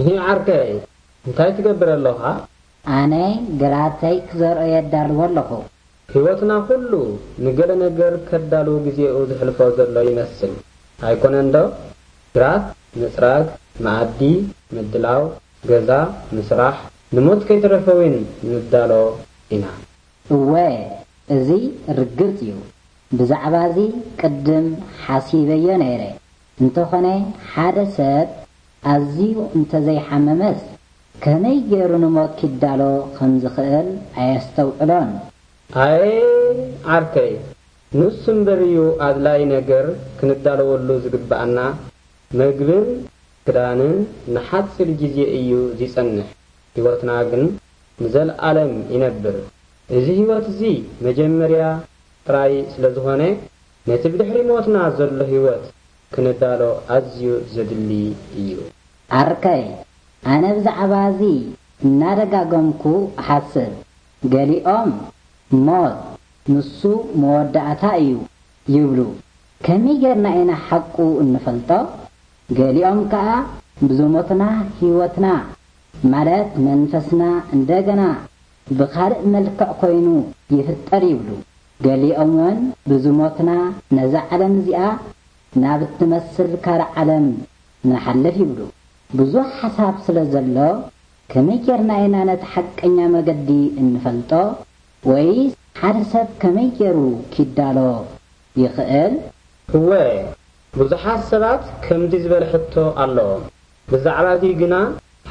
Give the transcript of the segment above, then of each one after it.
ይህ ዓርከይ እንታይ ትገብር ኣለኻ? ኣነ ግራተይ ክዘርኦ የዳልዎ ኣለኹ። ህይወትና ኩሉ ንገለ ነገር ከዳልው ግዜኡ ዝሕልፎ ዘሎ ይመስል። ኣይኮነን ዶ? ግራት ምጽራግ፣ መኣዲ ምድላው፣ ገዛ ምስራሕ፣ ንሞት ከይተረፈ እውን ንዳሎ ኢና። እወ፣ እዚ ርግጽ እዩ። ብዛዕባ እዚ ቅድም ሓሲበዮ ነይረ። እንተኾነ ሓደ ሰብ ኣዝዩ እንተዘይሓመመስ ከመይ ገይሩ ንሞት ኪዳሎ ከም ዝኽእል ኣየስተውዕሎን። ኣየ ዓርከይ፣ ንሱ እምበር እዩ ኣድላዪ ነገር ክንዳለወሉ ዝግብኣና። መግብን ክዳንን ንሓጺር ግዜ እዩ ዚጸንሕ፣ ህይወትና ግን ንዘለኣለም ይነብር። እዚ ህይወት እዚ መጀመርያ ጥራይ ስለ ዝኾነ፣ ነቲ ብድሕሪ ሞትና ዘሎ ህይወት ክንዳሎ ኣዝዩ ዘድሊ እዩ። ዓርከይ፣ ኣነ ብዛዕባ እዚ እናደጋገምኩ እሓስብ። ገሊኦም ሞት ንሱ መወዳእታ እዩ ይብሉ። ከመይ ጌርና ኢና ሓቁ እንፈልጦ? ገሊኦም ከኣ ብዝሞትና ህይወትና ማለት መንፈስና እንደገና ብኻልእ መልክዕ ኮይኑ ይፍጠር ይብሉ። ገሊኦም እውን ብዝሞትና ነዛ ዓለም እዚኣ ናብ እትመስል ካልእ ዓለም ንሓልፍ ይብሉ። ብዙሕ ሓሳብ ስለ ዘሎ ከመይ ጌርና ኢና ነቲ ሓቀኛ መገዲ እንፈልጦ? ወይስ ሓደ ሰብ ከመይ ጌሩ ኪዳሎ ይኽእል? እወ፣ ብዙሓት ሰባት ከምዚ ዝበለ ሕቶ ኣለዎም። ብዛዕባ እዚ ግና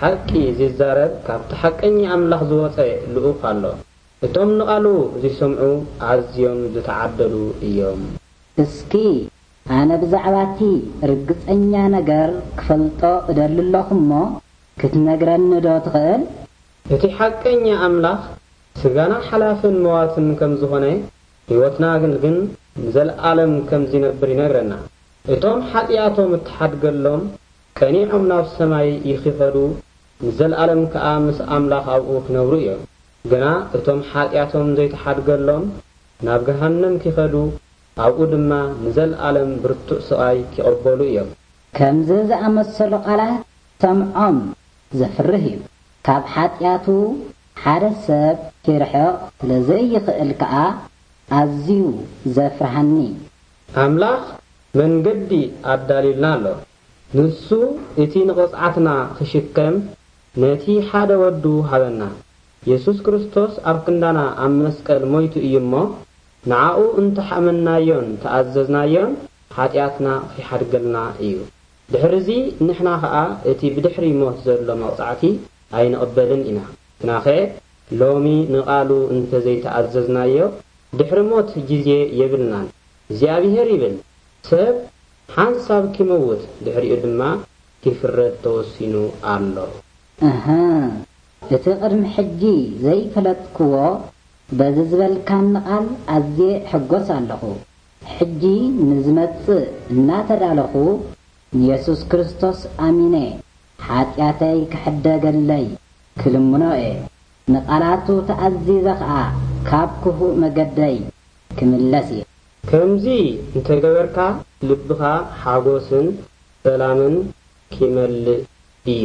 ሓቂ ዚዛረብ ካብቲ ሓቀኛ ኣምላኽ ዝወጸ ልኡኽ ኣሎ። እቶም ንቓሉ ዚሰምዑ ኣዝዮም ዝተዓደሉ እዮም። እስኪ ኣነ ብዛዕባ እቲ ርግጸኛ ነገር ክፈልጦ እደሊ ኣለኹ እሞ ክትነግረኒ ዶ ትኽእል? እቲ ሓቀኛ ኣምላኽ ስጋና ሓላፍን መዋትን ከም ዝኾነ፣ ህይወትና ግን ግን ንዘለኣለም ከም ዚነብር ይነግረና። እቶም ሓጢኣቶም እተሓድገሎም ቀኒዖም ናብ ሰማይ ይኺኸዱ፣ ንዘለኣለም ከኣ ምስ ኣምላኽ ኣብኡ ክነብሩ እዮም። ግና እቶም ሓጢኣቶም ዘይተሓድገሎም ናብ ገሃነም ኪኸዱ፣ ኣብኡ ድማ ንዘለኣለም ብርቱዕ ስቓይ ኪቕበሉ እዮም። ከምዚ ዝኣመሰሉ ቃላት ሰምዖም ዘፍርህ እዩ። ካብ ሓጢኣቱ ሓደ ሰብ ኪርሕቕ ስለ ዘይኽእል ከኣ ኣዝዩ ዘፍርሃኒ። ኣምላኽ መንገዲ ኣዳልዩልና ኣሎ። ንሱ እቲ ንቕጽዓትና ኺሽከም ነቲ ሓደ ወዱ ሃበና። የሱስ ክርስቶስ ኣብ ክንዳና ኣብ መስቀል ሞይቱ እዩ እሞ፣ ንዓኡ እንተ ሓመናዮን ተኣዘዝናዮን፣ ሓጢኣትና ኺሓድገልና እዩ። ድሕርዚ ንሕና ኸኣ እቲ ብድሕሪ ሞት ዘሎ መቕጻዕቲ ኣይንቕበልን ኢና። ግናኸ ሎሚ ንቓሉ እንተ ዘይተኣዘዝናዮ፣ ድሕሪ ሞት ግዜ የብልናን። እግዚኣብሄር ይብል፣ ሰብ ሓንሳብ ኪመውት፣ ድሕሪኡ ድማ ኪፍረድ ተወሲኑ ኣሎ። እህ፣ እቲ ቅድሚ ሕጂ ዘይፈለጥክዎ በዚ ዝበልካኒ ቃል ኣዝየ እሕጎስ ኣለኹ። ሕጂ ንዝመጽእ እናተዳለኹ ንየሱስ ክርስቶስ ኣሚነ ሓጢኣተይ ክሕደገለይ ክልምኖ እየ። ንቓላቱ ተኣዚዘ ኸኣ ካብ ክፉእ መገደይ ክምለስ እየ። ከምዚ እንተ ገበርካ ልብኻ ሓጎስን ሰላምን ኪመልእ እዩ።